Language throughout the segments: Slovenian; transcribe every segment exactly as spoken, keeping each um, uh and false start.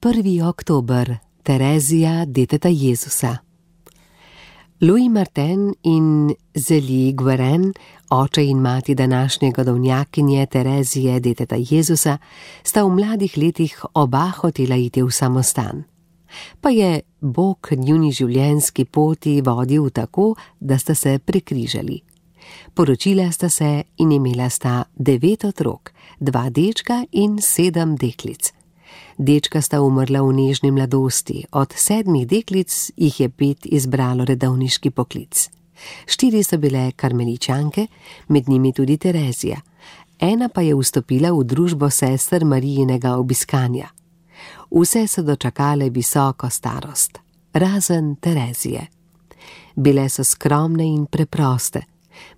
prvi oktober, Terezija, deteta Jezusa. Louis Martin in Zélie Guérin, oče in mati današnje godovnjakinje Terezije, deteta Jezusa, sta v mladih letih oba hotela iti v samostan. Pa je Bog njuni življenjski poti vodil tako, da sta se prekrižali. Poročila sta se in imela sta devet otrok, dva dečka in sedem deklic. Dečka sta umrla v nežni mladosti, od sedmih deklic jih je pet izbralo redovniški poklic. Štiri so bile karmeličanke, med njimi tudi Terezija. Ena pa je vstopila v družbo sester Marijinega obiskanja. Vse so dočakale visoko starost, razen Terezije. Bile so skromne in preproste.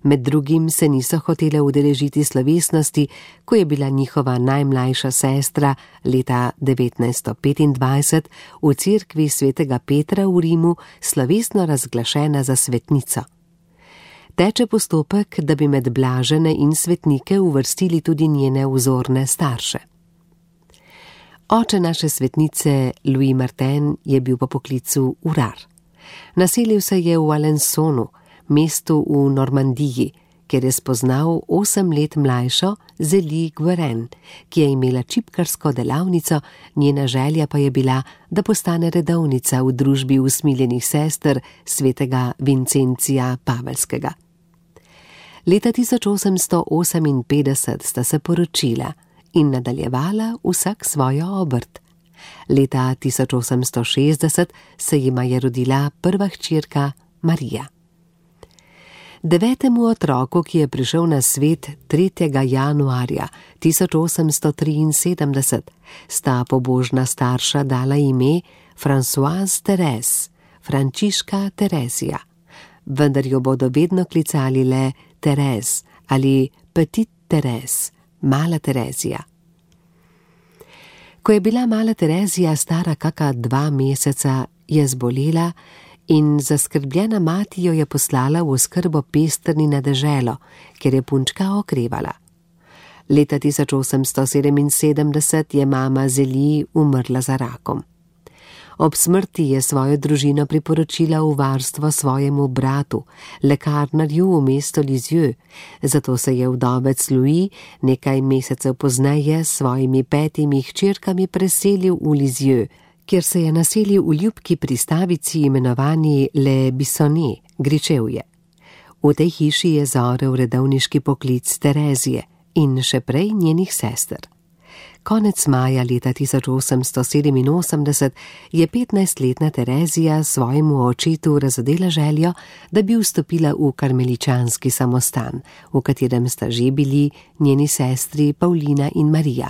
Med drugim se niso hotele udeležiti slovesnosti, ko je bila njihova najmlajša sestra leta devetnajststo petindvajset v cerkvi svetega Petra v Rimu slovesno razglašena za svetnico. Teče postopek, da bi med blažene in svetnike uvrstili tudi njene vzorne starše. Oče naše svetnice Louis Martin je bil po poklicu urar. Naselil se je v Alençonu, mestu v Normandiji, kjer je spoznal osem let mlajšo Zélie Guérin, ki je imela čipkarsko delavnico, njena želja pa je bila, da postane redovnica v družbi usmiljenih sester svetega Vincencija Pavelskega. Leta tisoč osemsto oseminpetdeset sta se poročila in nadaljevala vsak svojo obrt. Leta tisoč osemsto šestdeset se jima je rodila prva hčerka Marija. Devetemu otroku, ki je prišel na svet tretjega januarja tisoč osemsto triinsedemdeset, sta pobožna starša dala ime Françoise Thérèse, Frančiška Terezija, vendar jo bodo vedno klicali le Thérèse ali Petite Thérèse, mala Terezija. Ko je bila mala Terezija stara kaka dva meseca, je zbolela in zaskrbljena mati jo je poslala v oskrbo Pestrni na deželo, kjer je punčka okrevala. Leta tisoč osemsto sedeminsedemdeset je mama Zélie umrla za rakom. Ob smrti je svojo družino priporočila v varstvo svojemu bratu, lekarnarju v mesto Lisieux, zato se je vdovec Louis nekaj mesecev pozneje s svojimi petimi hčerkami preselil v Lisieux, kjer se je naselil v ljubki pristavici imenovani Le Bissonnet, Gričevje. V tej hiši je zorel redovniški poklic Terezije in še prej njenih sester. Konec maja leta tisoč osemsto sedeminosemdeset je petnajstletna Terezija svojemu očetu razodela željo, da bi vstopila v karmeličanski samostan, v katerem sta že bili njeni sestri Paulina in Marija.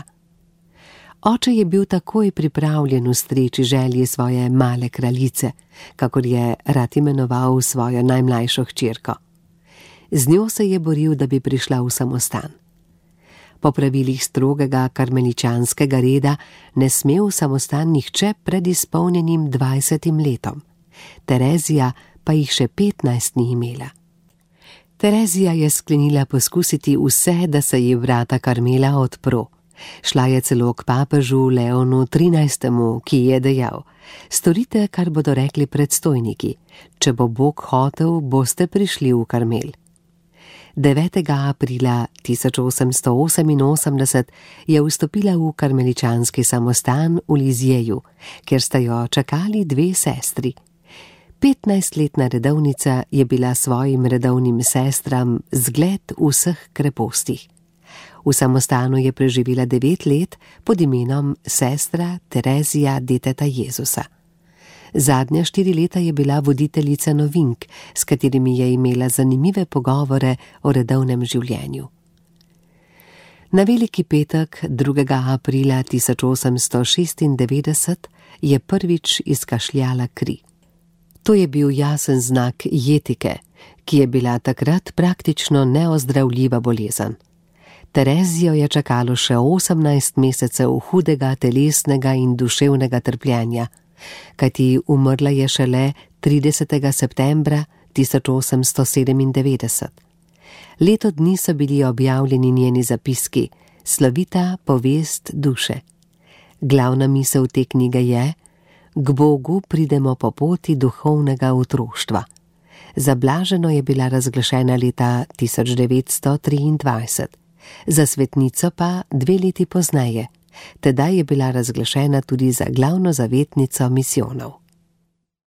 Oče je bil takoj pripravljen ustreči želji svoje male kraljice, kakor je rad imenoval svojo najmlajšo hčerko. Z njo se je boril, da bi prišla v samostan. Po pravilih strogega karmeličanskega reda ne sme v samostan nihče pred izpolnjenim dvajsetim letom. Terezija pa jih še petnajst ni imela. Terezija je sklenila poskusiti vse, da se ji vrata Karmela odpro. Šla je celo k papežu Leonu trinajstemu, ki je dejal: storite, kar bodo rekli predstojniki. Če bo Bog hotel, boste prišli v Karmel. devetega aprila tisoč osemsto oseminosemdeset je vstopila v karmeličanski samostan v Lizieju, kjer sta jo čakali dve sestri. petnajstletna redovnica je bila svojim redovnim sestram zgled vseh krepostih. V samostanu je preživela devet let pod imenom sestra Terezija, deteta Jezusa. Zadnja štiri leta je bila voditeljica novink, s katerimi je imela zanimive pogovore o redovnem življenju. Na veliki petek, drugega aprila tisoč osemsto šestindevetdeset, je prvič izkašljala kri. To je bil jasen znak jetike, ki je bila takrat praktično neozdravljiva bolezen. Terezijo je čakalo še osemnajst mesecev hudega telesnega in duševnega trpljenja, kajti umrla je šele tridesetega septembra tisoč osemsto sedemindevetdeset. Leto dni so bili objavljeni njeni zapiski, slovita povest duše. Glavna misel te knjige je: k Bogu pridemo po poti duhovnega otroštva. Zablaženo je bila razglašena leta tisoč devetsto triindvajset, za svetnico pa dve leti pozneje. Tedaj je bila razglašena tudi za glavno zavetnico misijonov.